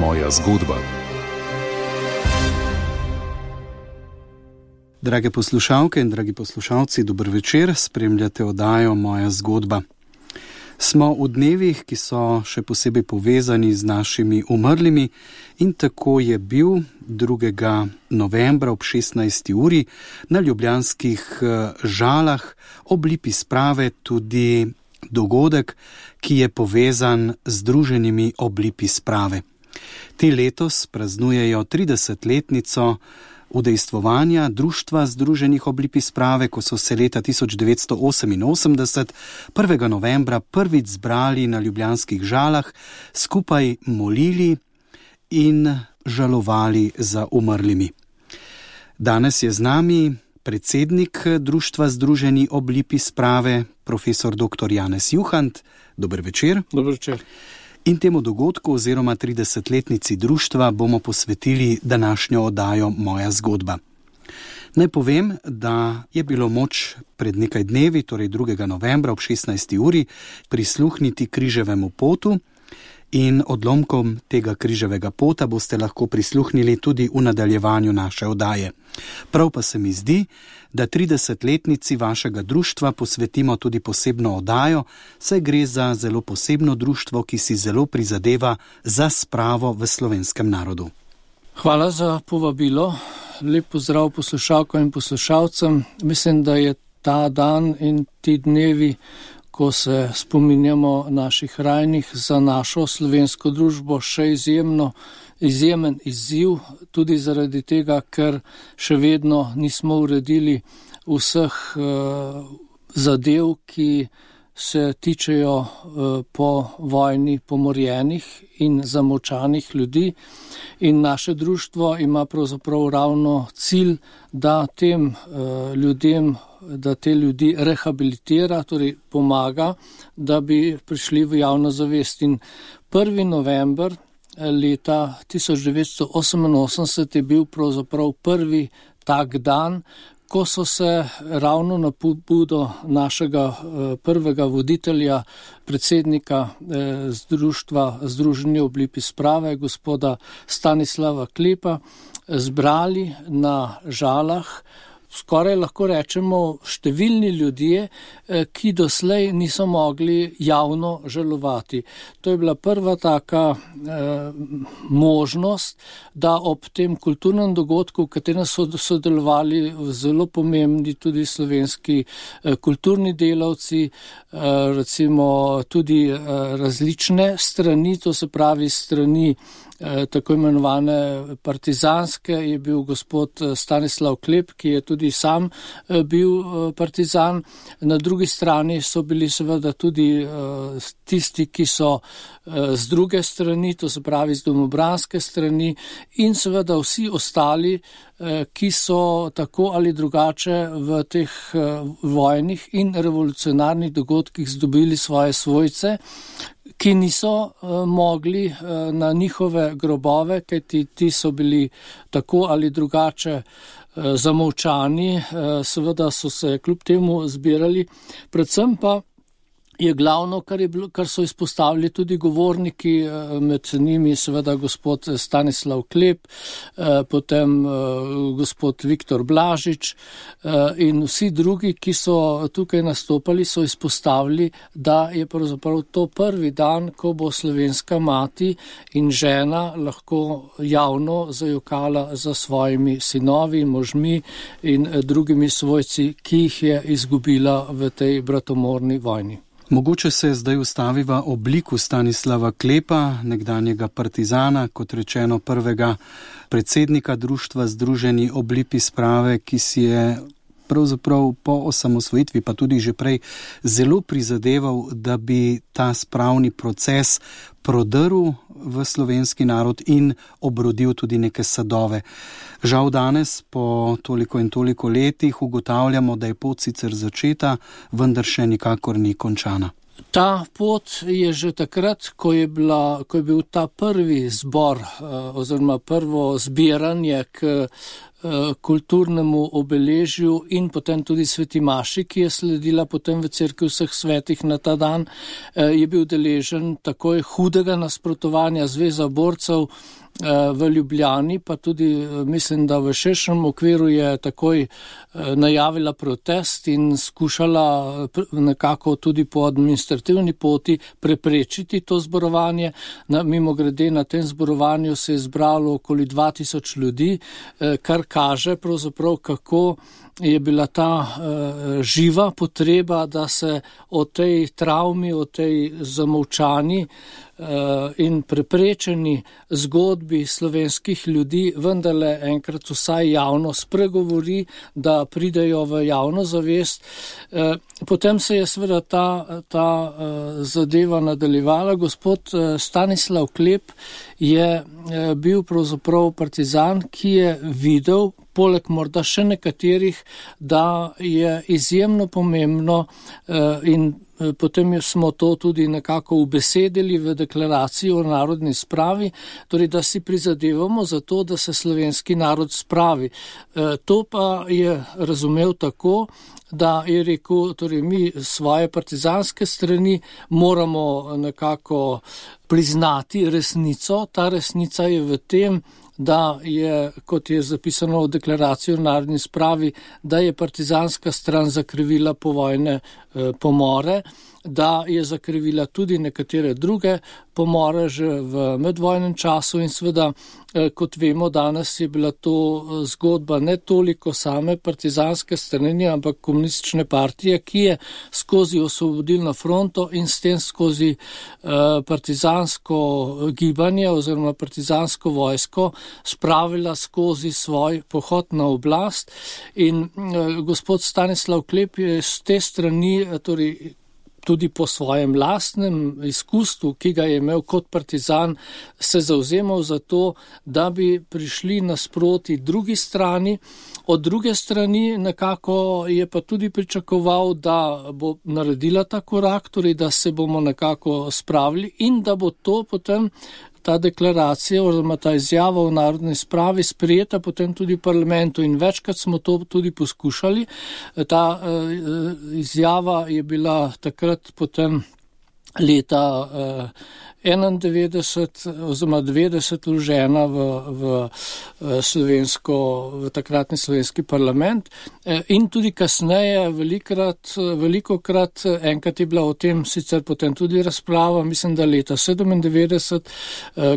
Moja zgodba. Drage poslušalke in dragi poslušalci, dober večer, spremljate oddajo Moja zgodba. Smo v dnevih, ki so še posebej povezani z našimi umrlimi, in tako je bil 2. novembra ob 16. uri na ljubljanskih Žalah ob lipi sprave tudi dogodek, ki je povezan z druženimi ob lipi sprave. Ti letos praznujejo 30-letnico udejstvovanja Društva združenih ob lipi sprave, ko so se leta 1988, 1. novembra, prvič zbrali na ljubljanskih Žalah, skupaj molili in žalovali za umrlimi. Danes je z nami predsednik Društva združeni ob lipi sprave, profesor dr. Janez Juhant. Dober večer. Dober večer. In temu dogodku oziroma 30-letnici društva bomo posvetili današnjo oddajo Moja zgodba. Naj povem, da je bilo moč pred nekaj dnevi, torej 2. novembra ob 16. uri, prisluhniti križevemu potu in odlomkom tega križevega pota boste lahko prisluhnili tudi v nadaljevanju naše oddaje. Prav pa se mi zdi, da 30-letnici vašega društva posvetimo tudi posebno oddajo, saj gre za zelo posebno društvo, ki si zelo prizadeva za spravo v slovenskem narodu. Hvala za povabilo. Lep pozdrav poslušalkam in poslušalcem. Mislim, da je ta dan in ti dnevi, ko se spominjamo naših rajnih, za našo slovensko družbo še izjemen izziv, tudi zaradi tega, ker še vedno nismo uredili vseh zadev, ki se tičejo po vojni pomorjenih in zamolčanih ljudi. In naše društvo ima pravzaprav ravno cilj, da tem ljudem, da te ljudi rehabilitira, torej pomaga, da bi prišli v javno zavest. In 1. november leta 1988 je bil pravzaprav prvi tak dan, ko so se ravno na pobudo našega prvega voditelja, predsednika Društva združenih ob lipi sprave, gospoda Stanislava Klepa, zbrali na Žalah, skoraj lahko rečemo številni ljudje, ki doslej niso mogli javno žalovati. To je bila prva taka možnost, da ob tem kulturnem dogodku, v katerem so sodelovali zelo pomembni tudi slovenski kulturni delavci, recimo tudi različne strani, to se pravi strani tako imenovane partizanske, je bil gospod Stanislav Klep, ki je tudi sam bil partizan. Na drugi strani so bili seveda tudi tisti, ki so z druge strani, to se pravi z domobranske strani, in seveda vsi ostali, ki so tako ali drugače v teh vojnih in revolucionarnih dogodkih zdobili svoje svojce, ki niso mogli na njihove grobove, kajti ti so bili tako ali drugače zamolčani, seveda so se kljub temu zbirali. Predvsem pa je glavno, kar so izpostavili tudi govorniki, med njimi seveda gospod Stanislav Klep, potem gospod Viktor Blažič in vsi drugi, ki so tukaj nastopali, so izpostavili, da je pravzaprav to prvi dan, ko bo slovenska mati in žena lahko javno zajokala za svojimi sinovi, možmi in drugimi svojci, ki jih je izgubila v tej bratomorni vojni. Mogoče se zdaj ustaviva ob liku Stanislava Klepa, nekdanjega partizana, kot rečeno prvega predsednika Društva združeni ob lipi sprave, ki si je pravzaprav po osamosvojitvi, pa tudi že prej, zelo prizadeval, da bi ta spravni proces prodrl v slovenski narod in obrodil tudi neke sadove. Žal danes, po toliko in toliko letih, ugotavljamo, da je pot sicer začeta, vendar še nikakor ni končana. Ta pot je že takrat, ko je bil ta prvi zbor oziroma prvo zbiranje k kulturnemu obeležju in potem tudi sveti maši, ki je sledila potem v cerkvi vseh svetih na ta dan, je bil deležen takoj hudega nasprotovanja Zveza borcev v Ljubljani, pa tudi mislim, da v širšem okviru je takoj najavila protest in skušala nekako tudi po administrativni poti preprečiti to zborovanje. Mimogrede na tem zborovanju se je zbralo okoli 2000 ljudi, kar kaže pravzaprav, kako je bila ta živa potreba, da se o tej travmi, o tej zamolčani in preprečeni zgodbi slovenskih ljudi vendarle enkrat vsaj javno spregovori, da pridejo v javno zavest. Potem se je seveda ta zadeva nadaljevala. Gospod Stanislav Klep je bil pravzaprav partizan, ki je videl, poleg morda še nekaterih, da je izjemno pomembno in potem smo to tudi nekako ubesedili v deklaraciji o narodni spravi, torej da si prizadevamo za to, da se slovenski narod spravi. To pa je razumel tako, da je rekel, torej mi svoje partizanske strani moramo nekako priznati resnico. Ta resnica je v tem, da je, kot je zapisano v deklaraciji o narodni spravi, da je partizanska stran zakrivila povojne pomore, da je zakrivila tudi nekatere druge pomore že v medvojnem času in seveda, kot vemo, danes je bila to zgodba ne toliko same partizanske strani, ampak komunistične partije, ki je skozi osvobodilno fronto in s tem skozi partizansko gibanje oziroma partizansko vojsko spravila skozi svoj pohod na oblast. In gospod Stanislav Klep je z te strani, torej tudi po svojem lastnem izkustvu, ki ga je imel kot partizan, se zavzemal za to, da bi prišli nasproti drugi strani. Od druge strani nekako je pa tudi pričakoval, da bo naredila ta korak, torej da se bomo nekako spravili in da bo to potem ta deklaracija oziroma ta izjava o narodni spravi sprejeta potem tudi v parlamentu in večkrat smo to tudi poskušali. Ta izjava je bila takrat potem leta 91 oziroma 90 vložena v takratni slovenski parlament in tudi kasneje velikokrat, enkrat je bila o tem sicer potem tudi razprava, mislim, da leta 97,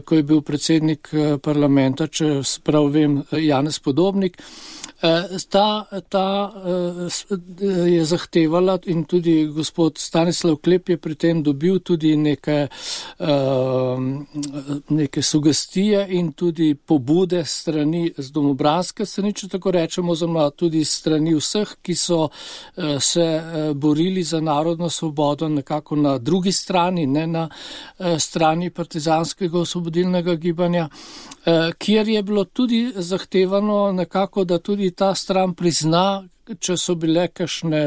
ko je bil predsednik parlamenta, če prav vem, Janez Podobnik, ta je zahtevala in tudi gospod Stanislav Klep je pri tem dobil tudi neke sugestije in tudi pobude strani z domobranske strani, če tako rečemo, oziroma tudi strani vseh, ki so se borili za narodno svobodo nekako na drugi strani, ne na strani partizanskega osvobodilnega gibanja, kjer je bilo tudi zahtevano nekako, da tudi ta stran prizna, če so bile kakšne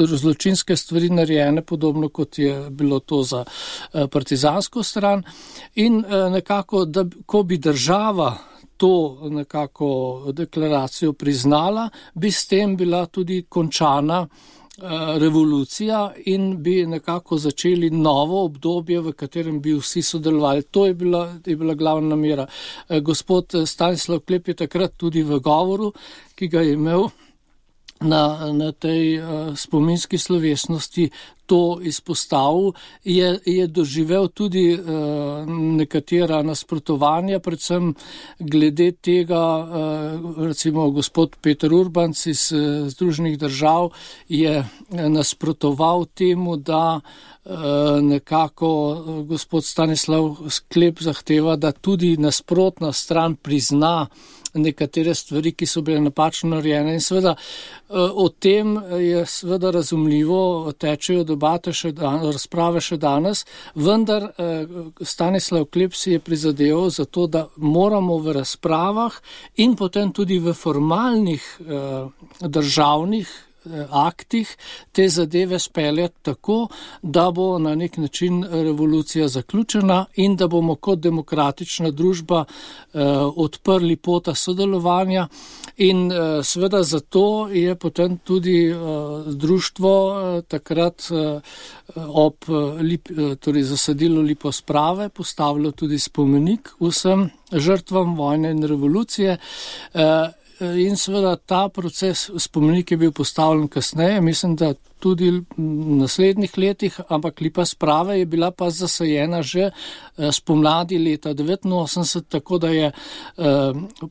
zločinske stvari narejene, podobno kot je bilo to za partizansko stran. In nekako, da ko bi država to nekako deklaracijo priznala, bi s tem bila tudi končana revolucija in bi nekako začeli novo obdobje, v katerem bi vsi sodelovali. To je bila glavna namera. Gospod Stanislav Klep je takrat tudi v govoru, ki ga je imel na tej spominski slovesnosti, to izpostavil, je doživel tudi nekatera nasprotovanja, predvsem glede tega, recimo gospod Peter Urbanc iz Združenih držav je nasprotoval temu, da nekako gospod Stanislav Klep zahteva, da tudi nasprotna stran prizna nekatere stvari, ki so bile napačno narejene. In seveda o tem je seveda razumljivo, tečejo debate razprave še danes, vendar Stanislav Klep si je prizadeval za to, da moramo v razpravah in potem tudi v formalnih državnih aktih te zadeve speljati tako, da bo na nek način revolucija zaključena in da bomo kot demokratična družba odprli pota sodelovanja. In seveda zato je potem tudi društvo takrat torej zasadilo lipo sprave, postavilo tudi spomenik vsem žrtvam vojne in revolucije. In seveda ta proces, spomenik je bil postavljen kasneje, mislim, da tudi v naslednjih letih, ampak lipa sprave je bila pa zasajena že spomladi leta 1989, tako da je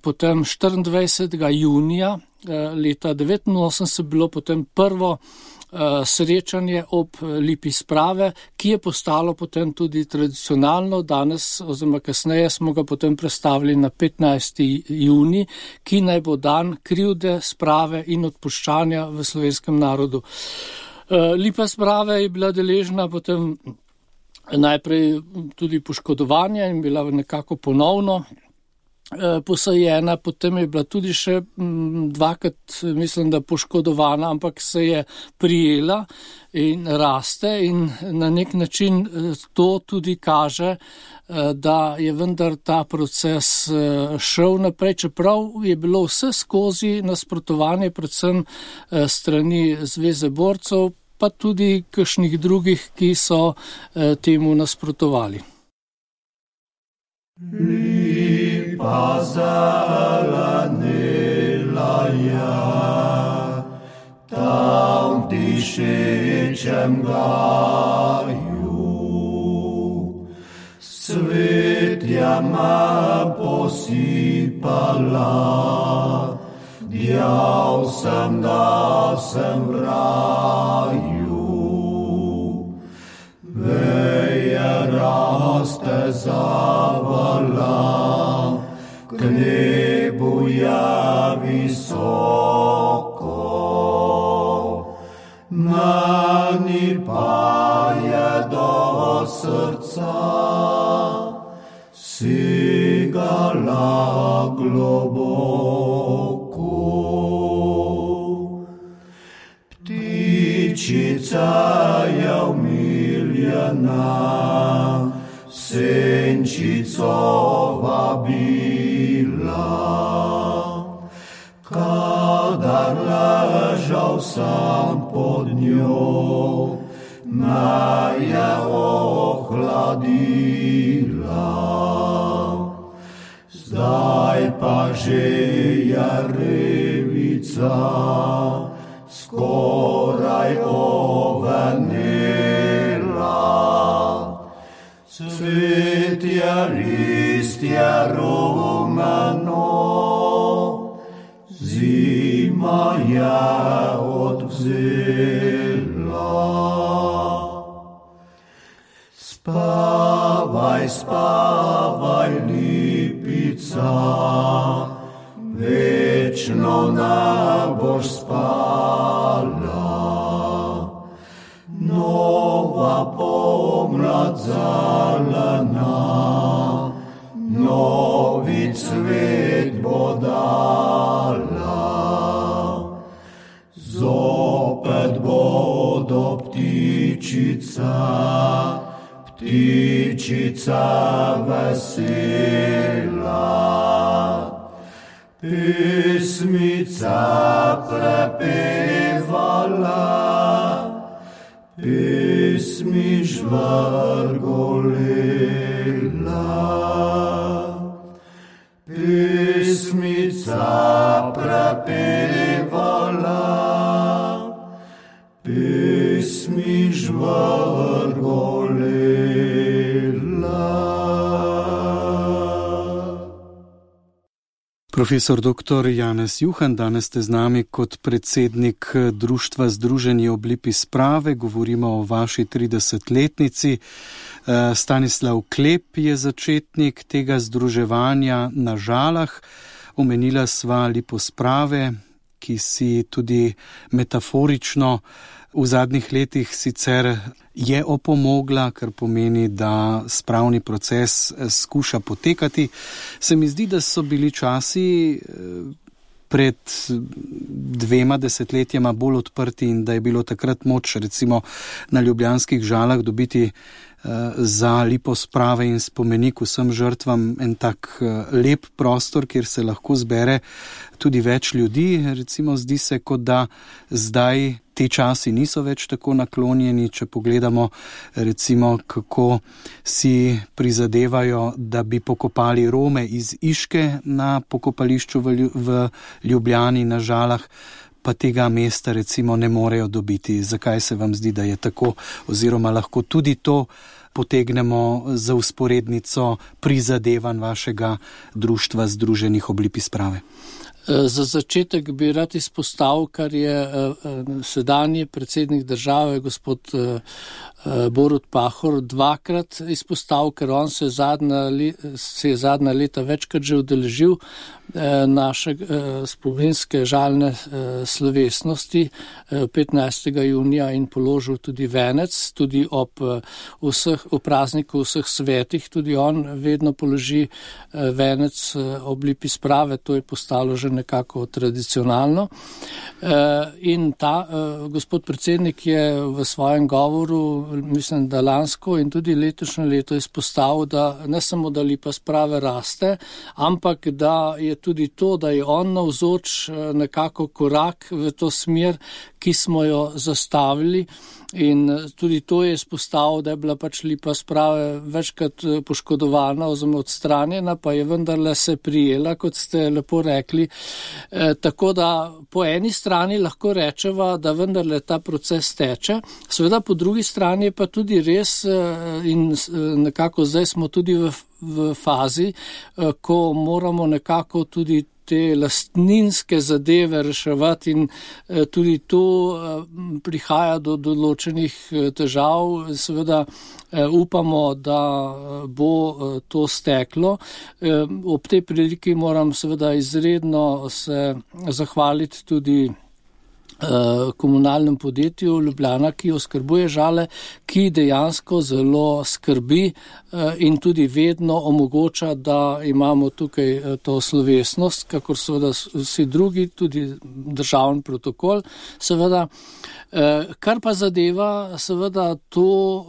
potem 24. junija leta 1989 bilo potem prvo srečanje ob lipi sprave, ki je postalo potem tudi tradicionalno. Danes oziroma kasneje smo ga potem prestavili na 15. juni, ki naj bo dan krivde, sprave in odpuščanja v slovenskem narodu. Lipa sprave je bila deležna potem najprej tudi poškodovanja in bila nekako ponovno posajena, potem je bila tudi še dvakrat, mislim, da poškodovana, ampak se je prijela in raste in na nek način to tudi kaže, da je vendar ta proces šel naprej, čeprav je bilo vse skozi nasprotovanje predvsem strani Zveze borcev, pa tudi kakšnih drugih, ki so temu nasprotovali. Lipa zelenila je, tam v dišečem gaju. Cvetje me posipala, djal sem, da sem v raju. Veje raste zavala, k nebu je visoko. Meni pa je do srca sigala globoko. Ptičica je umiljena, senčico vabila. Kadar ležal sem pod njo, me je ohladila. Zdaj pa že je revica skoraj ovenela. Cvetje, listje rumeno, zima je odvzela. Spavaj, spavaj, lipica, večno ne boš spala. Nova pomlad zelena, novi cvet bo dala. Zopet bodo ptičica, ptičica vesela. Pesmica prepevala, pesmi žvrgolela. Pesmica prepevala, pesmi žvrgolela. Profesor dr. Janez Juhan, danes ste z nami kot predsednik Društva Združenje ob lipi sprave. Govorimo o vaši 30-letnici. Stanislav Klep je začetnik tega združevanja na Žalah. Omenila sva lipo sprave, ki si tudi metaforično v zadnjih letih sicer je opomogla, kar pomeni, da spravni proces skuša potekati. Se mi zdi, da so bili časi pred 2 desetletjema bolj odprti in da je bilo takrat moč recimo na ljubljanskih Žalah dobiti za liposprave in spomenik vsem žrtvam en tak lep prostor, kjer se lahko zbere tudi več ljudi. Recimo zdi se, kot da zdaj te časi niso več tako naklonjeni, če pogledamo recimo, kako si prizadevajo, da bi pokopali Rome iz Iške na pokopališču v Ljubljani na Žalah, pa tega mesta recimo ne morejo dobiti. Zakaj se vam zdi, da je tako, oziroma lahko tudi to potegnemo za vzporednico prizadevanj vašega društva Združenih ob lipi sprave? Za začetek bi rad izpostavil, kar je sedanji predsednik države, gospod Borut Pahor, dvakrat izpostavil, ker on se je zadnja leta večkrat že udeležil naše spominske žalne slovesnosti 15. junija in položil tudi venec, tudi ob prazniku vseh svetih, tudi on vedno položi venec ob lipi sprave, to je postalo že nekako tradicionalno. In gospod predsednik je v svojem govoru, mislim, da lansko in tudi letošnje leto izpostavil, da ne samo, da lipa sprave raste, ampak da je tudi to, da je on navzoč nekako korak v to smer, ki smo jo zastavili. In tudi to je izpostavil, da je bila pač lipa sprave večkrat poškodovana oziroma odstranjena, pa je vendarle se prijela, kot ste lepo rekli. Tako da po eni strani lahko rečeva, da vendarle ta proces teče, seveda po drugi strani je pa tudi res in nekako zdaj smo tudi v fazi, ko moramo nekako tudi te lastninske zadeve reševati in tudi tu prihaja do določenih težav. Seveda upamo, da bo to steklo. Ob tej priliki moram seveda izredno se zahvaliti tudi komunalnem podjetju Ljubljana, ki oskrbuje Žale, ki dejansko zelo skrbi in tudi vedno omogoča, da imamo tukaj to slovesnost, kakor seveda vsi drugi, tudi državni protokol, seveda. Kar pa zadeva, seveda to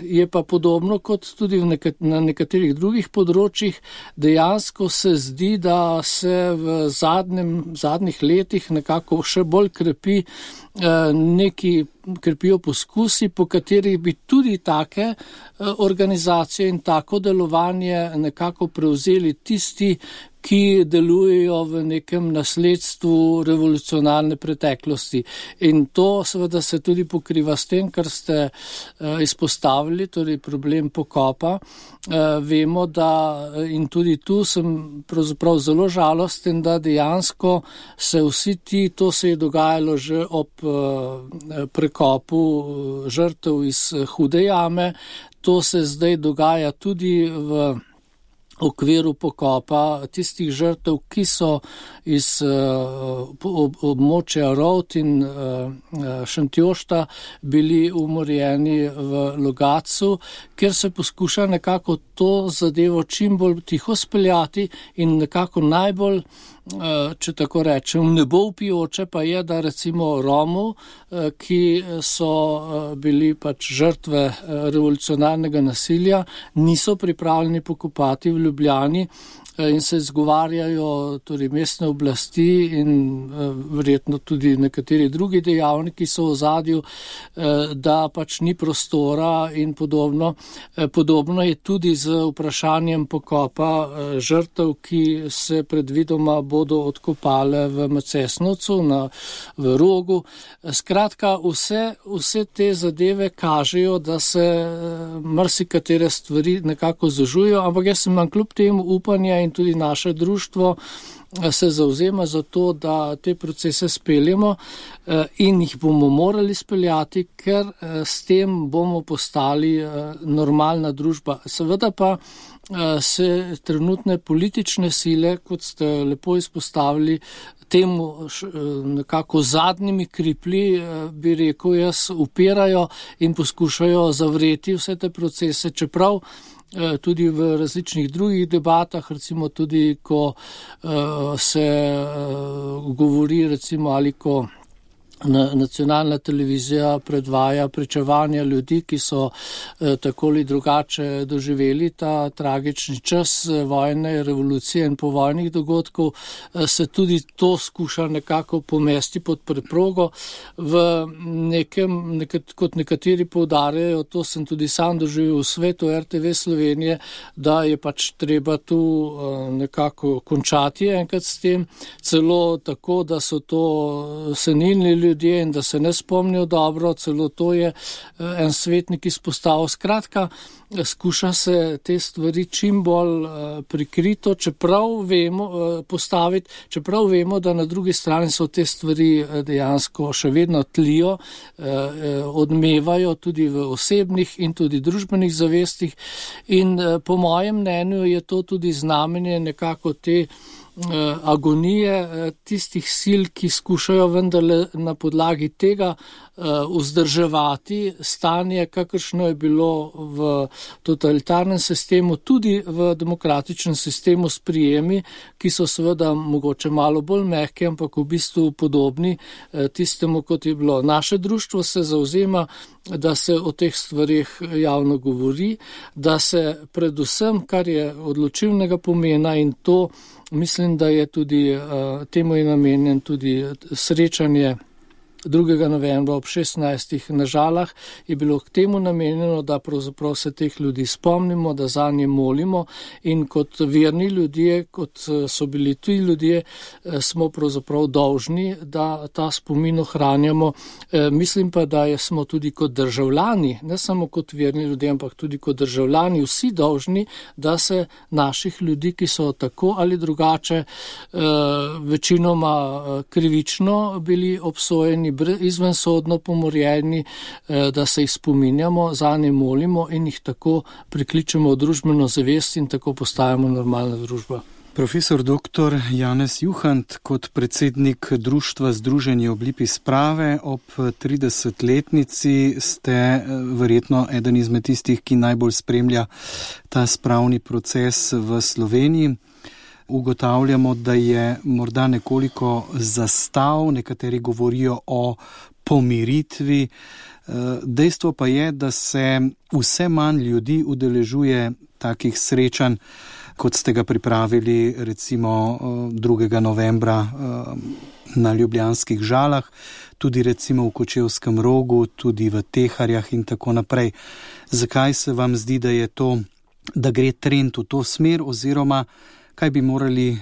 je pa podobno kot tudi na nekaterih drugih področjih. Dejansko se zdi, da se v zadnjih letih nekako še bolj krepijo poskusi, po katerih bi tudi take organizacije in tako delovanje nekako prevzeli tisti, ki delujejo v nekem nasledstvu revolucionarne preteklosti. In to seveda se tudi pokriva s tem, kar ste izpostavili, torej problem pokopa. Vemo, da in tudi tu sem pravzaprav zelo žalosten, da dejansko se vsi to se je dogajalo že ob prekopu žrtev iz Hude jame, to se zdaj dogaja tudi v okviru pokopa tistih žrtev, ki so iz območja Rovt in Šentjošta bili umorjeni v Logatcu, kjer se poskuša nekako to zadevo čim bolj tiho speljati in nekako najbolj, če tako rečem, nebo vpijoče pa je, da recimo Romov, ki so bili pač žrtve revolucionarnega nasilja, niso pripravljeni pokopati v Ljubljani in se izgovarjajo torej mestne oblasti in verjetno tudi nekateri drugi dejavniki so v ozadju, da pač ni prostora in podobno. Podobno je tudi z vprašanjem pokopa žrtev, ki se predvidoma bodo odkopale v Macesnovcu, v Rogu. Skratka, vse te zadeve kažejo, da se marsikatere stvari nekako zožujo, ampak jaz imam kljub temu upanja in tudi naše društvo se zavzema za to, da te procese speljemo in jih bomo morali speljati, ker s tem bomo postali normalna družba. Seveda pa se trenutne politične sile, kot ste lepo izpostavili, temu nekako zadnjimi kriplji, bi rekel jaz, upirajo in poskušajo zavreti vse te procese, čeprav tudi v različnih drugih debatah, recimo tudi, ko se govori, recimo, ali ko nacionalna televizija predvaja pričevanja ljudi, ki so tako ali drugače doživeli ta tragični čas vojne, revolucije in povojnih dogodkov, se tudi to skuša nekako pomesti pod preprogo. Kot nekateri poudarjajo, to sem tudi sam doživel v svetu RTV Slovenije, da je pač treba tu nekako končati enkrat s tem, celo tako, da so to senilni ljudje in da se ne spomnijo dobro, celo to je en svetnik izpostavil. Skratka, skuša se te stvari čim bolj prikrito, čeprav vemo, da na drugi strani so te stvari dejansko še vedno tlijo, odmevajo tudi v osebnih in tudi družbenih zavestih in po mojem mnenju je to tudi znamenje nekako te agonije tistih sil, ki skušajo vendarle na podlagi tega vzdrževati stanje, kakršno je bilo v totalitarnem sistemu, tudi v demokratičnem sistemu s prijemi, ki so seveda mogoče malo bolj mehki, ampak v bistvu podobni tistemu, kot je bilo. Naše društvo se zavzema, da se o teh stvarih javno govori, da se predvsem, kar je odločilnega pomena in to mislim, da je tudi temu je namenjen tudi srečanje 2. novembra ob 16. na Žalah, je bilo k temu namenjeno, da pravzaprav se teh ljudi spomnimo, da zanje molimo in kot verni ljudje, kot so bili tuji ljudje, smo pravzaprav dolžni, da ta spomin ohranjamo. Mislim pa, da smo tudi kot državljani, ne samo kot verni ljudje, ampak tudi kot državljani vsi dolžni, da se naših ljudi, ki so tako ali drugače večinoma krivično bili obsojeni, izvensodno pomorjeni, da se jih spominjamo, zanje molimo in jih tako prikličemo v družbeno zavest in tako postajamo normalna družba. Profesor dr. Janez Juhant, kot predsednik Društva Združenje ob lipi sprave ob 30-letnici ste verjetno eden izmed tistih, ki najbolj spremlja ta spravni proces v Sloveniji. Ugotavljamo, da je morda nekoliko zastav, nekateri govorijo o pomiritvi. Dejstvo pa je, da se vse manj ljudi udeležuje takih srečanj, kot ste ga pripravili recimo 2. novembra na ljubljanskih Žalah, tudi recimo v Kočevskem Rogu, tudi v Teharjah in tako naprej. Zakaj se vam zdi, da gre trend v to smer, oziroma kaj bi morali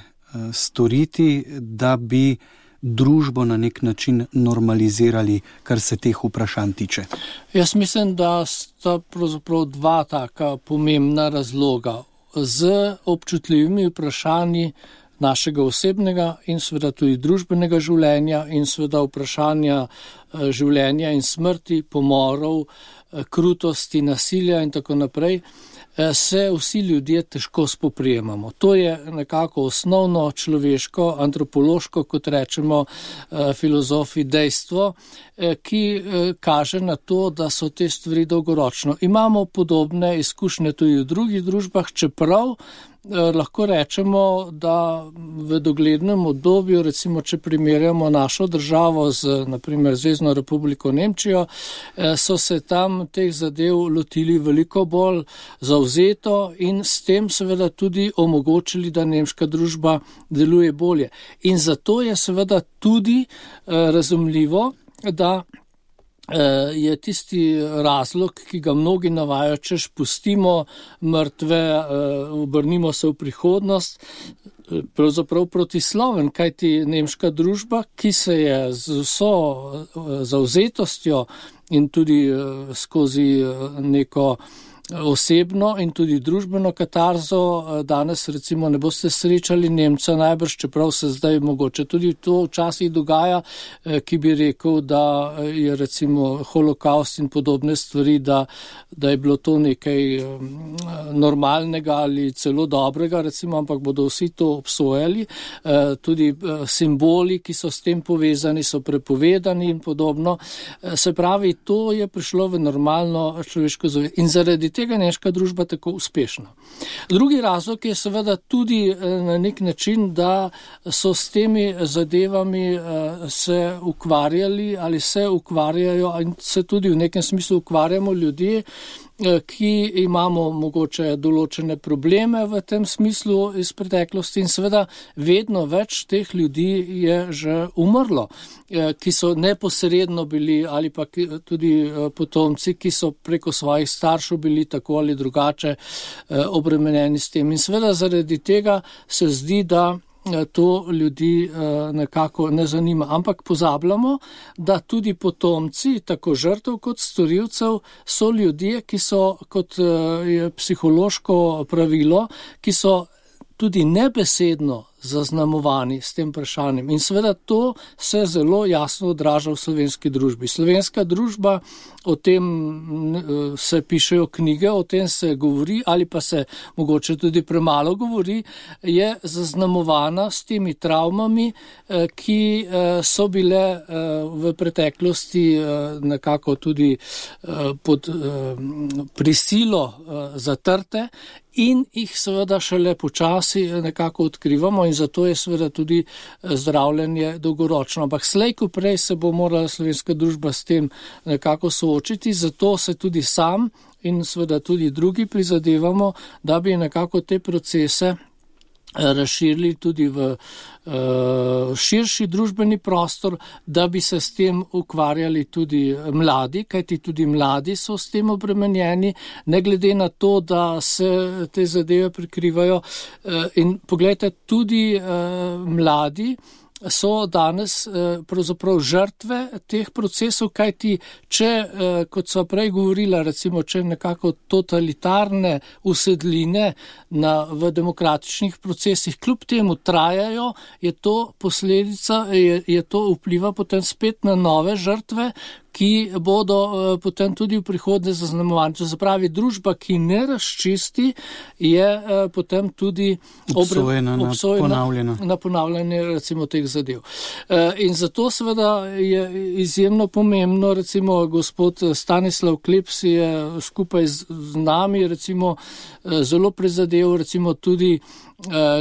storiti, da bi družbo na nek način normalizirali, kar se teh vprašanj tiče? Jaz mislim, da sta pravzaprav dva taka pomembna razloga. Z občutljivimi vprašanji našega osebnega in seveda tudi družbenega življenja in seveda vprašanja življenja in smrti, pomorov, krutosti, nasilja in tako naprej, se vsi ljudje težko spoprijemamo. To je nekako osnovno človeško, antropološko, kot rečemo filozofi, dejstvo, ki kaže na to, da so te stvari dolgoročno. Imamo podobne izkušnje tudi v drugih družbah, čeprav lahko rečemo, da v doglednem obdobju, recimo, če primerjamo našo državo z, naprimer, Zvezno republiko Nemčijo, so se tam teh zadev lotili veliko bolj zavzeto in s tem seveda tudi omogočili, da nemška družba deluje bolje. In zato je seveda tudi razumljivo, da je tisti razlog, ki ga mnogi navajajo, češ pustimo mrtve, obrnimo se v prihodnost, pravzaprav protisloven, kajti nemška družba, ki se je z vso zavzetostjo in tudi skozi neko osebno in tudi družbeno katarzo, danes recimo ne boste srečali Nemca najbrž, čeprav se zdaj mogoče tudi to včasih dogaja, ki bi rekel, da je recimo holokaust in podobne stvari, da je bilo to nekaj normalnega ali celo dobrega, recimo, ampak bodo vsi to obsojali. Tudi simboli, ki so s tem povezani, so prepovedani in podobno. Se pravi, to je prišlo v normalno človeško zavest. In zaradi tega je nemška družba tako uspešna. Drugi razlog je seveda tudi na nek način, da so s temi zadevami se ukvarjali ali se ukvarjajo in se tudi v nekem smislu ukvarjamo ljudje, ki imamo mogoče določene probleme v tem smislu iz preteklosti in seveda vedno več teh ljudi je že umrlo, ki so neposredno bili ali pa tudi potomci, ki so preko svojih staršev bili tako ali drugače obremenjeni s tem. In seveda zaradi tega se zdi, da to ljudi nekako ne zanima. Ampak pozabljamo, da tudi potomci, tako žrtev kot storilcev, so ljudje, ki so, kot je psihološko pravilo, ki so tudi nebesedno zaznamovani s tem vprašanjem. In seveda to se zelo jasno odraža v slovenski družbi. Slovenska družba, o tem se pišejo knjige, o tem se govori ali pa se mogoče tudi premalo govori, je zaznamovana s temi travmami, ki so bile v preteklosti nekako tudi pod prisilo zatrte in jih seveda šele počasi nekako odkrivamo in zato je seveda tudi zdravljenje dolgoročno. Ampak slej ko prej se bo morala slovenska družba s tem nekako soočiti, zato se tudi sam in seveda tudi drugi prizadevamo, da bi nekako te procese razširili tudi v širši družbeni prostor, da bi se s tem ukvarjali tudi mladi, kajti tudi mladi so s tem obremenjeni, ne glede na to, da se te zadeve prikrivajo. In poglejte, tudi mladi so danes pravzaprav žrtve teh procesov, kajti če, kot so prej govorila, recimo, če nekako totalitarne usedline v demokratičnih procesih kljub temu trajajo, je to posledica, je to vpliva potem spet na nove žrtve, ki bodo potem tudi v prihodnje zaznamovani. To se pravi, družba, ki ne razčisti, je potem tudi obsojena na ponavljanje recimo teh zadev. In zato seveda je izjemno pomembno, recimo gospod Stanislav Kleps je skupaj z nami recimo zelo prizadev, recimo tudi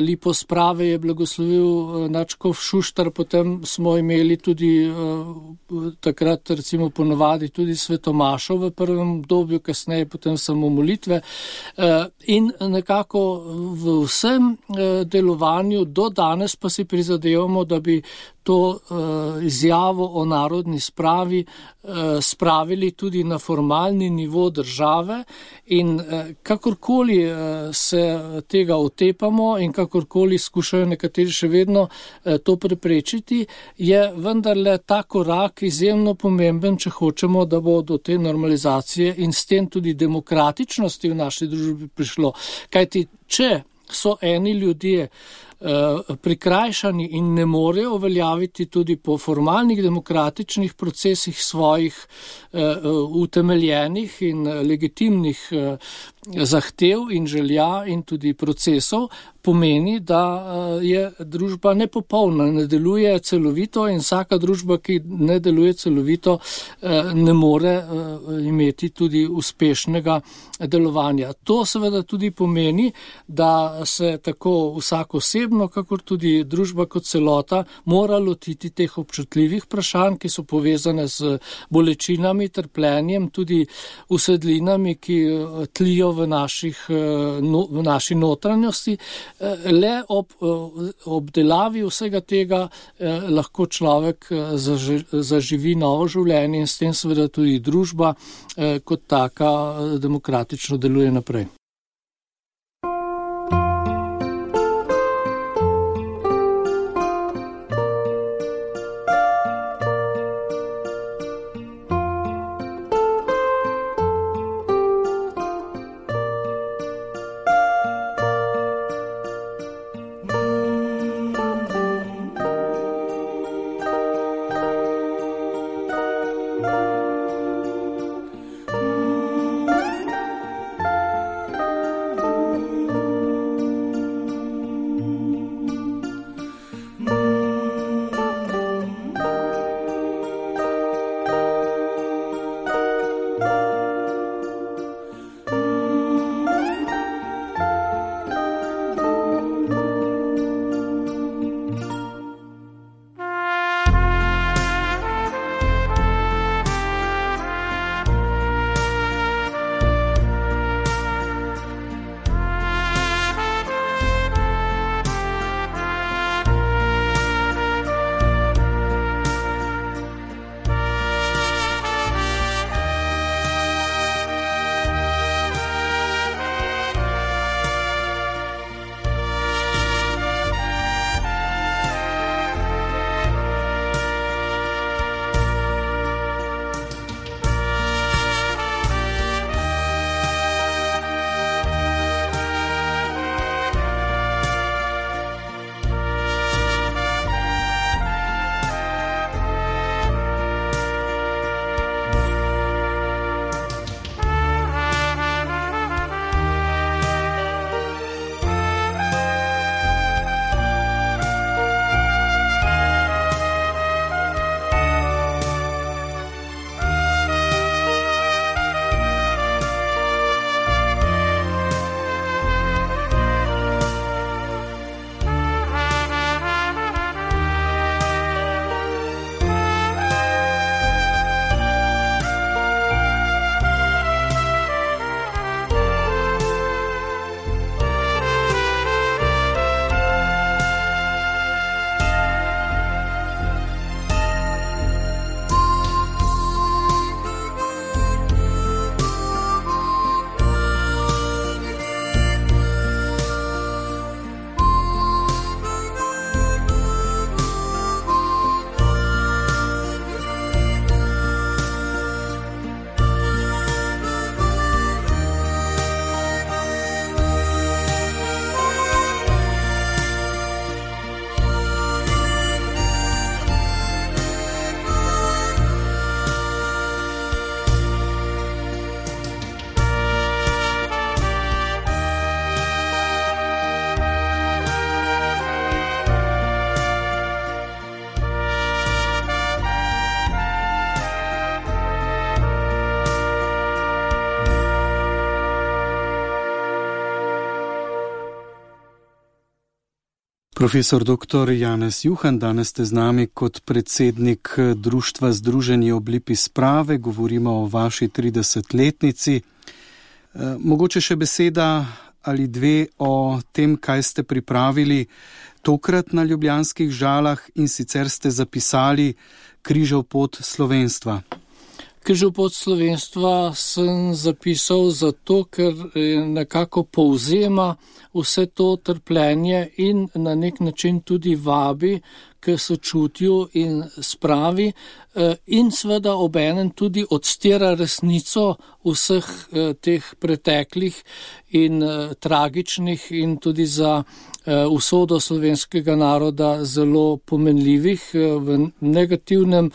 Lipo Sprave je blagoslovil nadškof Šuštar, potem smo imeli tudi takrat recimo ponovadi tudi svetomašo v prvem obdobju, kasneje potem samo molitve in nekako v vsem delovanju do danes pa si prizadevamo, da bi to izjavo o narodni spravi spravili tudi na formalni nivo države in kakorkoli se tega otepamo in kakorkoli skušajo nekateri še vedno to preprečiti, je vendarle ta korak izjemno pomemben, če hočemo, da bo do te normalizacije in s tem tudi demokratičnosti v naši družbi prišlo. Kajti, če so eni ljudje prikrajšani in ne morejo uveljaviti tudi po formalnih demokratičnih procesih svojih utemeljenih in legitimnih zahtev in želja in tudi procesov, pomeni, da je družba nepopolna, ne deluje celovito in vsaka družba, ki ne deluje celovito, ne more imeti tudi uspešnega delovanja. To seveda tudi pomeni, da se tako vsak osebno, kakor tudi družba kot celota, mora lotiti teh občutljivih vprašanj, ki so povezane z bolečinami, trpljenjem, tudi usedlinami, ki tlijo v naši notranjosti. Le ob obdelavi vsega tega lahko človek zaživi novo življenje in s tem seveda tudi družba kot taka demokratično deluje naprej. Profesor dr. Janez Juhan, danes ste z nami kot predsednik Društva Združeni ob lipi sprave. Govorimo o vaši 30-letnici. Mogoče še beseda ali dve o tem, kaj ste pripravili tokrat na Ljubljanskih Žalah, in sicer ste zapisali Križev pot slovenstva. Križev pot slovenstva sem zapisal zato, ker nekako povzema vse to trpljenje in na nek način tudi vabi k sočutju in spravi in seveda obenem tudi odstira resnico vseh teh preteklih in tragičnih in tudi za usodo slovenskega naroda zelo pomenljivih v negativnem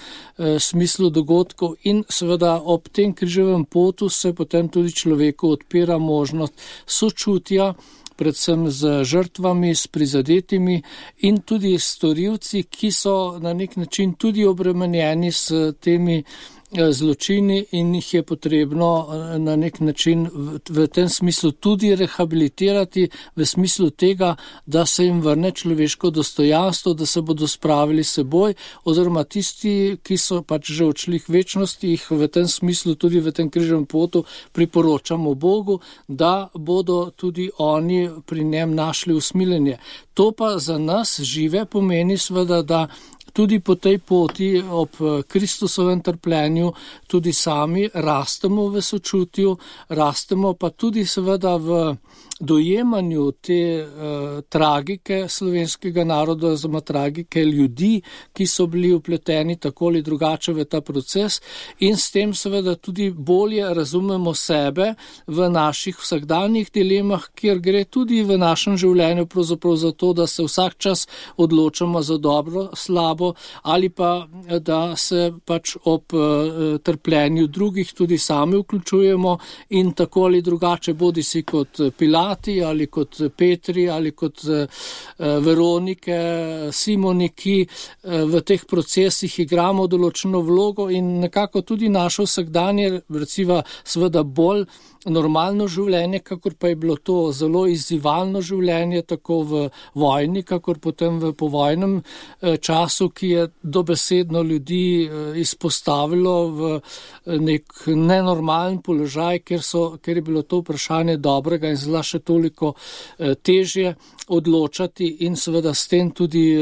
smislu dogodkov, in seveda ob tem križevem potu se potem tudi človeku odpira možnost sočutja, predvsem z žrtvami, s prizadetimi in tudi storilci, ki so na nek način tudi obremenjeni s temi zločini in jih je potrebno na nek način v tem smislu tudi rehabilitirati, v smislu tega, da se jim vrne človeško dostojanstvo, da se bodo spravili s seboj, oziroma tisti, ki so pač že odšli k večnosti, jih v tem smislu tudi v tem križnem potu priporočamo Bogu, da bodo tudi oni pri njem našli usmiljenje. To pa za nas žive pomeni seveda, da tudi po tej poti ob Kristusovem trpljenju tudi sami rastemo v sočutju, rastemo pa tudi seveda v dojemanju te tragike slovenskega naroda, oziroma tragike ljudi, ki so bili vpleteni tako ali drugače v ta proces, in s tem seveda tudi bolje razumemo sebe v naših vsakdanjih dilemah, kjer gre tudi v našem življenju pravzaprav za to, da se vsak čas odločamo za dobro, slabo, ali pa da se pač ob trpljenju drugih tudi sami vključujemo in tako ali drugače, bodi si kot Pilat ali kot Petri ali kot Veronike, Simoni, ki v teh procesih igramo določeno vlogo in nekako tudi naše vsakdanje, recimo seveda bolj normalno življenje, kakor pa je bilo to zelo izzivalno življenje, tako v vojni, kakor potem v povojnem času, ki je dobesedno ljudi izpostavilo v nek nenormalen položaj, ker je bilo to vprašanje dobrega in zla še toliko težje odločati, in seveda s tem tudi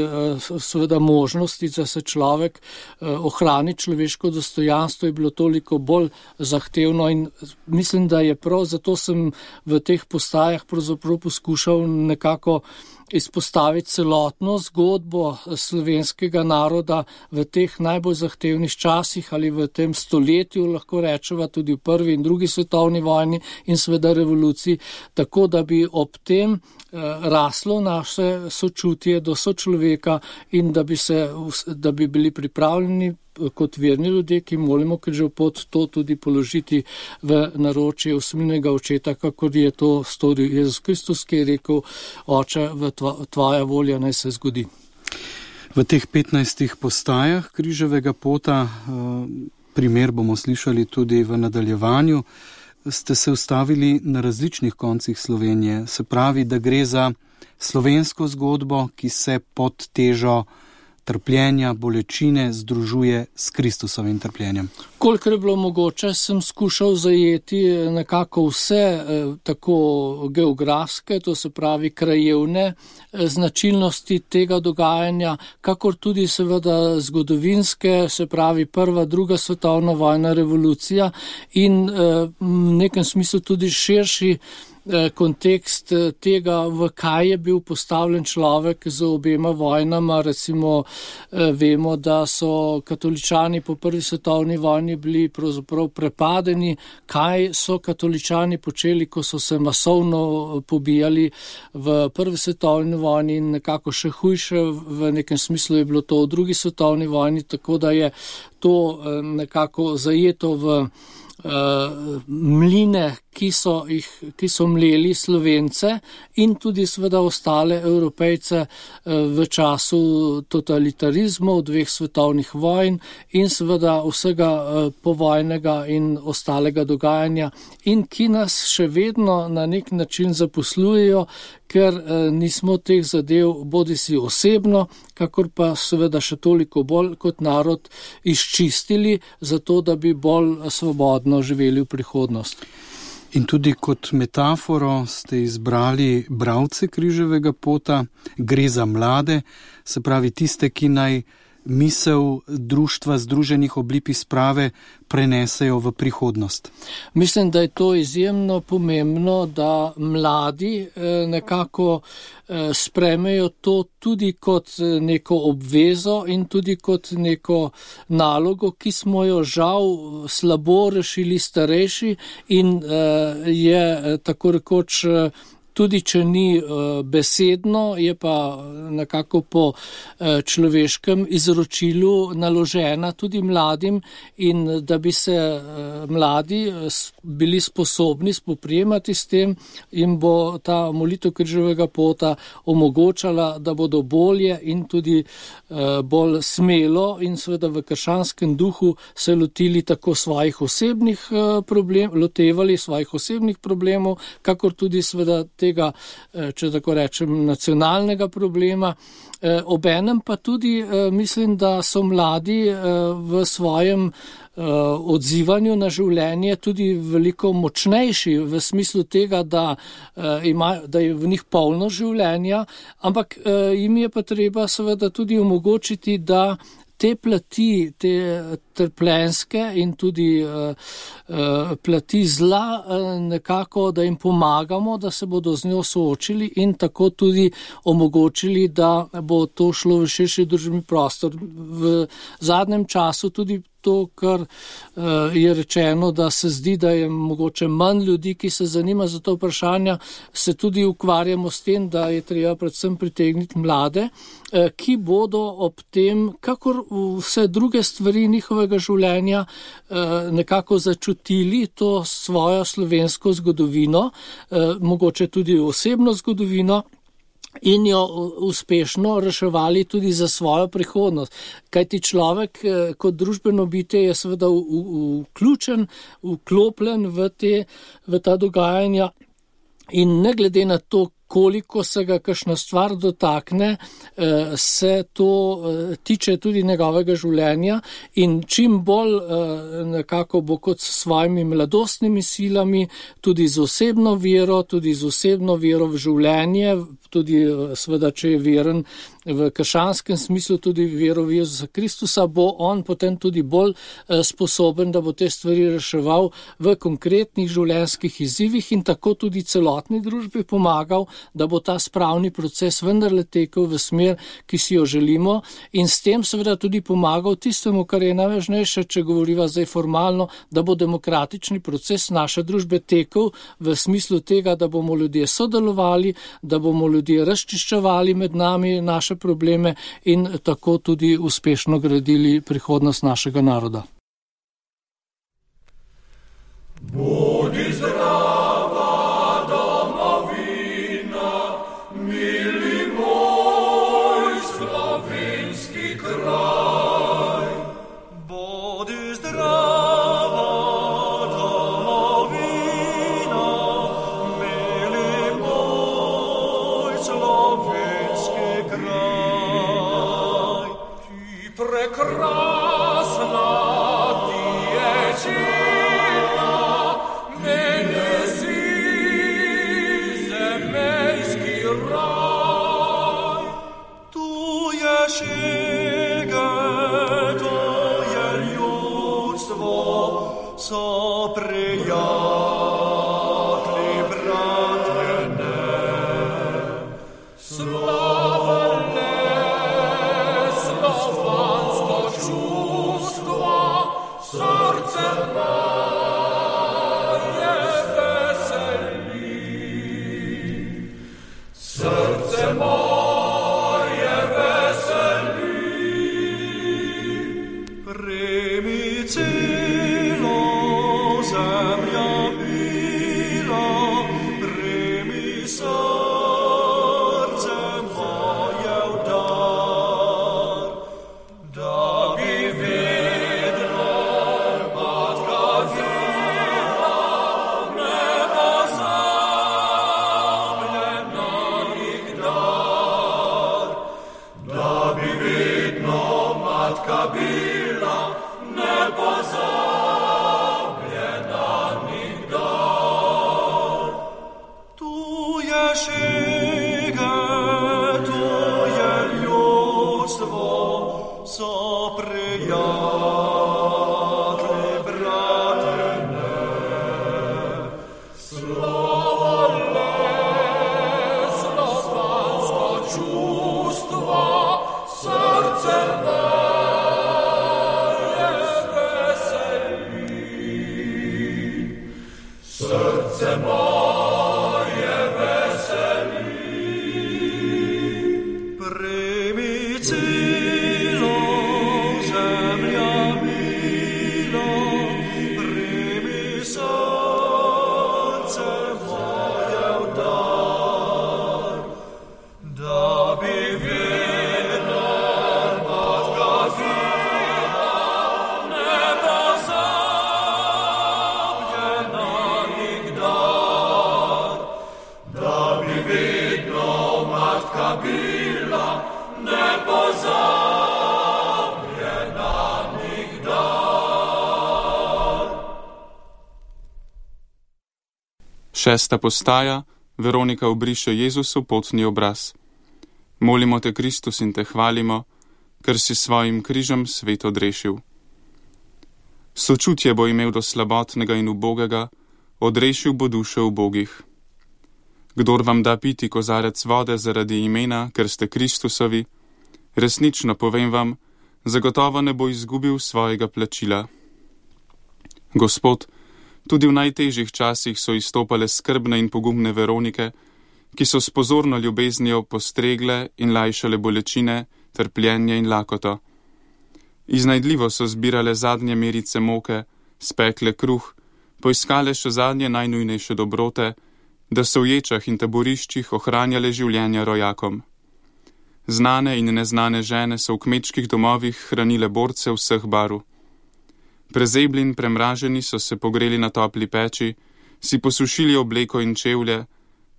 seveda možnosti, da se človek ohrani človeško dostojanstvo, je bilo toliko bolj zahtevno, in mislim, da je prav zato sem v teh postajah pravzaprav poskušal nekako izpostaviti celotno zgodbo slovenskega naroda v teh najbolj zahtevnih časih ali v tem stoletju, lahko rečeva tudi v prvi in drugi svetovni vojni in seveda revoluciji, tako da bi ob tem raslo naše sočutje do sočloveka in da bi bili pripravljeni kot verni ljudje, ki molimo križev pot, to tudi položiti v naročje usmiljenega očeta, kakor je to storil Jezus Kristus, ki je rekel: Oče, v tvoja volja naj se zgodi. V teh 15 postajah križevega pota, primer bomo slišali tudi v nadaljevanju, ste se ustavili na različnih koncih Slovenije. Se pravi, da gre za slovensko zgodbo, ki se pod težo trpljenja, bolečine združuje s Kristusovim trpljenjem. Kolikor je bilo mogoče, sem skušal zajeti nekako vse tako geografske, to se pravi krajevne značilnosti tega dogajanja, kakor tudi seveda zgodovinske, se pravi prva, druga svetovna vojna, revolucija in v nekem smislu tudi širši kontekst tega, v kaj je bil postavljen človek z obema vojnama. Recimo vemo, da so katoličani po prvi svetovni vojni bili pravzaprav prepadeni. Kaj so katoličani počeli, ko so se masovno pobijali v prvi svetovni vojni, in nekako še hujše v nekem smislu je bilo to v drugi svetovni vojni, tako da je to nekako zajeto v mline, ki so mleli Slovence in tudi seveda ostale Evropejce v času totalitarizmov, 2 svetovnih vojn in seveda vsega povojnega in ostalega dogajanja in ki nas še vedno na nek način zaposlujejo, ker nismo teh zadev bodisi osebno, kakor pa seveda še toliko bolj kot narod izčistili, zato da bi bolj svobodno živeli v prihodnost. In tudi kot metaforo ste izbrali bralce križevega pota, gre za mlade, se pravi tiste, ki naj misel društva Združenih obliki sprave prenesejo v prihodnost. Mislim, da je to izjemno pomembno, da mladi nekako sprejmejo to tudi kot neko obvezo in tudi kot neko nalogo, ki smo jo žal slabo rešili starejši in je tako rekoč tudi če ni besedno, je pa nekako po človeškem izročilu naložena tudi mladim in da bi se mladi bili sposobni spoprijemati s tem, jim bo ta molitev križevega pota omogočala, da bodo bolje in tudi bolj smelo in seveda v krščanskem duhu se lotevali svojih osebnih problemov, kakor tudi seveda tega, če tako rečem, nacionalnega problema. Obenem pa tudi mislim, da so mladi v svojem odzivanju na življenje tudi veliko močnejši v smislu tega, da je v njih polno življenja, ampak jim je pa treba seveda tudi omogočiti, da te plati, te trpljenske in tudi plati zla nekako, da jim pomagamo, da se bodo z njo soočili in tako tudi omogočili, da bo to šlo v širši družbeni prostor. V zadnjem času tudi to, kar je rečeno, da se zdi, da je mogoče manj ljudi, ki se zanima za to vprašanja, se tudi ukvarjamo s tem, da je treba predvsem pritegniti mlade, ki bodo ob tem, kakor vse druge stvari njihovega življenja, nekako začutili to svojo slovensko zgodovino, mogoče tudi osebno zgodovino, in jo uspešno reševali tudi za svojo prihodnost. Kajti človek kot družbeno bitje je seveda vklopljen v ta dogajanja in ne glede na to, koliko se ga kakšna stvar dotakne, se to tiče tudi njegovega življenja in čim bolj nekako bo kot s svojimi mladostnimi silami, tudi z osebno vero v življenje, tudi seveda, če je veren v krščanskem smislu, tudi vero v Jezusa Kristusa, bo on potem tudi bolj sposoben, da bo te stvari reševal v konkretnih življenjskih izzivih in tako tudi celotni družbi pomagal, da bo ta spravni proces vendarle tekel v smer, ki si jo želimo in s tem seveda tudi pomagal tistemu, kar je najvažnejše, če govoriva zdaj formalno, da bo demokratični proces naše družbe tekel v smislu tega, da bomo ljudje sodelovali, da bomo ljudje razčiščevali med nami naše probleme in tako tudi uspešno gradili prihodnost našega naroda. Bodi zdrava domovina, mili moj slovenski kraj. Bodi zdrava domovina, mili moj slovenski kraj. Ti prekrasna, ti je čina, meni si zemljski raj. Tu je šege, to je ljudstvo, so prijatelji, bratjene. Slavne slovansko čustvo, srce moje veseli. Srce moje veseli. Primi celo zemljo srce moje veseli. Primi cilo, zemlja mila, primi srce moje v dar, da bi vedno odgazila nepozabljena nikdar, da bi vedno matka bila nepozabljena nikdar. 6. postaja. Veronika obriše Jezusu potni obraz. Molimo te, Kristus, in te hvalimo, ker si svojim križem svet odrešil. Sočutje bo imel do slabotnega in ubogega, odrešil bo duše ubogih. Kdor vam da piti kozarec vode zaradi imena, ker ste Kristusovi, resnično povem vam, zagotovo ne bo izgubil svojega plačila. Gospod, tudi v najtežjih časih so izstopale skrbne in pogumne Veronike, ki so s pozorno ljubeznijo postregle in lajšale bolečine, trpljenje in lakoto. Iznajdljivo so zbirale zadnje merice moke, spekle kruh, poiskale še zadnje najnujnejše dobrote, da so v ječah in taboriščih ohranjale življenja rojakom. Znane in neznane žene so v kmečkih domovih hranile borce vseh barv. Prezebli in premraženi so se pogreli na topli peči, si posušili obleko in čevlje,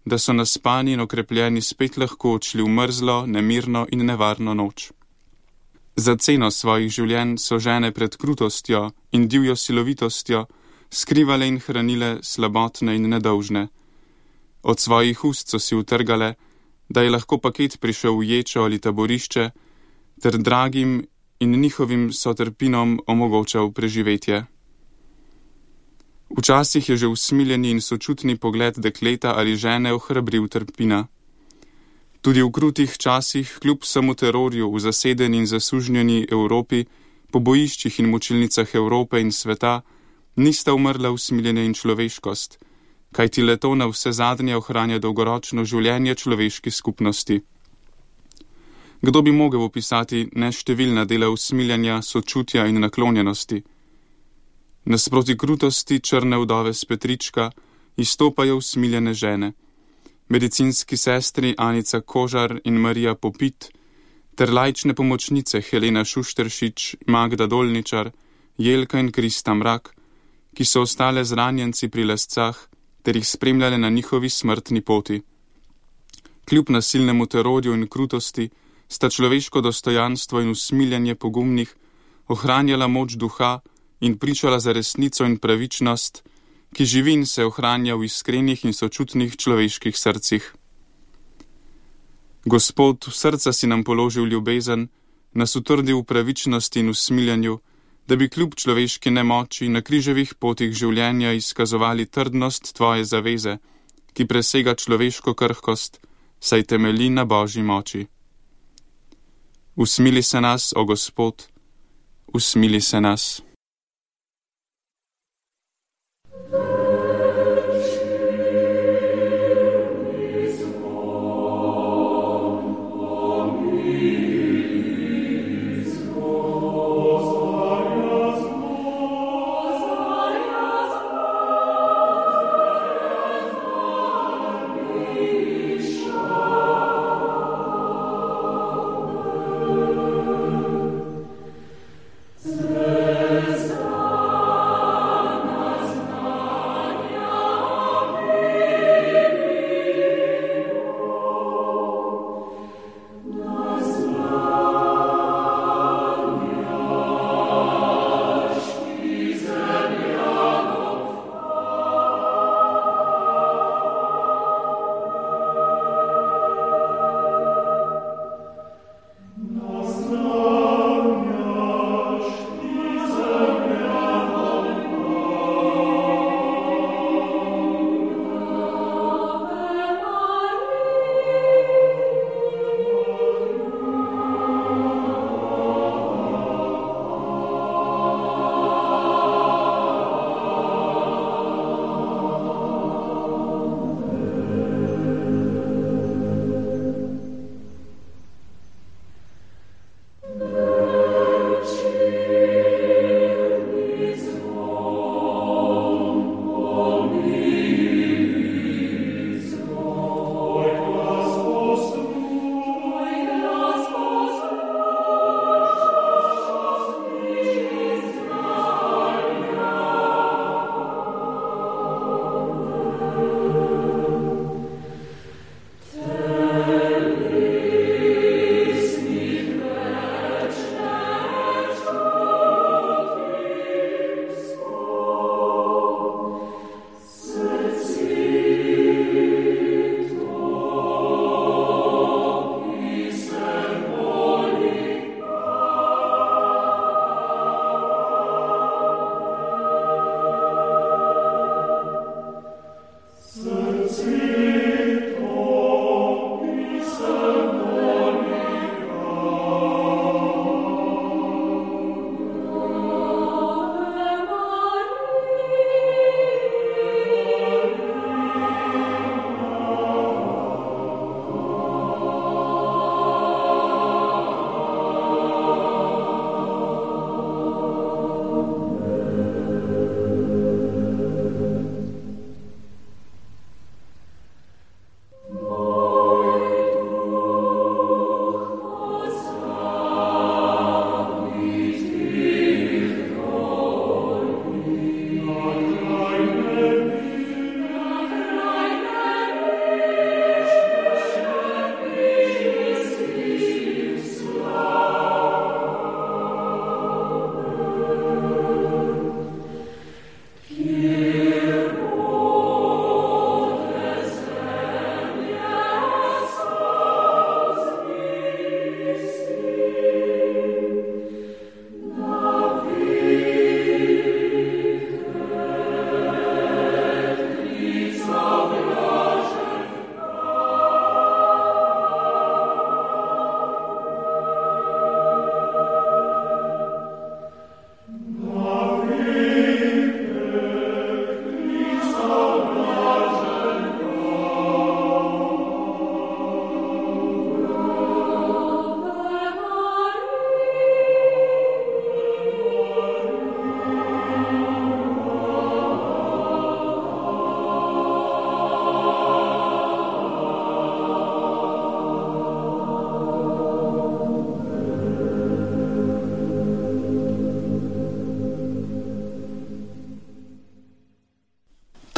da so naspani in okrepljeni spet lahko odšli v mrzlo, nemirno in nevarno noč. Za ceno svojih življenj so žene pred krutostjo in divjo silovitostjo skrivale in hranile slabotne in nedolžne. Od svojih ust so si utrgale, da je lahko paket prišel v ječo ali taborišče, ter dragim in njihovim sotrpinom omogočal preživetje. Včasih je že usmiljeni in sočutni pogled dekleta ali žene ohrabril trpina. Tudi v krutih časih, kljub vsemu terorju v zasedeni in zasužnjeni Evropi, po bojiščih in mučilnicah Evrope in sveta, nista umrla usmiljenje in človeškost, kajti le to na vse zadnje ohranja dolgoročno življenje človeški skupnosti. Kdo bi mogel opisati neštevilna dela usmiljanja, sočutja in naklonjenosti? Nasproti krutosti črne vdove s Petrička izstopajo usmiljene žene, medicinski sestri Anica Kožar in Marija Popit, ter laične pomočnice Helena Šušteršič, Magda Dolničar, Jelka in Krista Mrak, ki so ostale z ranjenci pri Lescah ter jih spremljale na njihovi smrtni poti. Kljub nasilnemu terorju in krutosti sta človeško dostojanstvo in usmiljanje pogumnih ohranjala moč duha in pričala za resnico in pravičnost, ki živi in se ohranja v iskrenih in sočutnih človeških srcih. Gospod, v srca si nam položil ljubezen, nas utrdil v pravičnosti in usmiljanju, da bi kljub človeški nemoči na križevih potih življenja izkazovali trdnost tvoje zaveze, ki presega človeško krhkost, saj temelji na Božji moči. Usmili se nas, o Gospod, usmili se nas.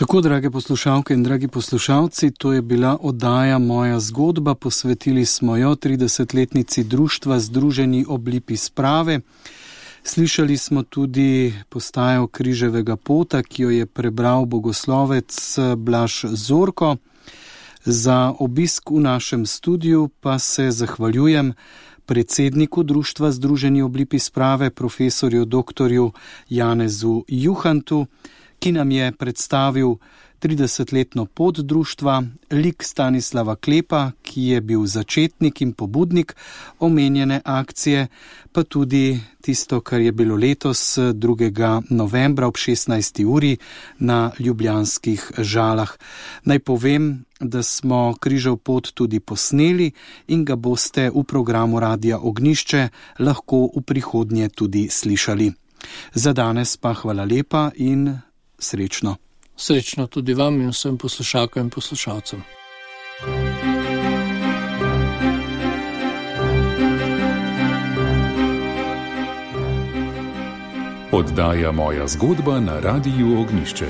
Tako, drage poslušalke in dragi poslušalci, to je bila oddaja Moja zgodba. Posvetili smo jo 30-letnici društva Združeni ob lipi sprave. Slišali smo tudi postajo Križevega pota, ki jo je prebral bogoslovec Blaž Zorko. Za obisk v našem studiu pa se zahvaljujem predsedniku društva Združeni ob lipi sprave, profesorju doktorju Janezu Juhantu, ki nam je predstavil 30-letno pot društva, lik Stanislava Klepa, ki je bil začetnik in pobudnik omenjene akcije, pa tudi tisto, kar je bilo letos 2. novembra ob 16. uri na ljubljanskih Žalah. Naj povem, da smo Križev pot tudi posneli in ga boste v programu Radia Ognišče lahko v prihodnje tudi slišali. Za danes pa hvala lepa in srečno. Srečno tudi vam in vsem poslušalkam in poslušalcem. Oddaja Moja zgodba na Radiu Ognišče.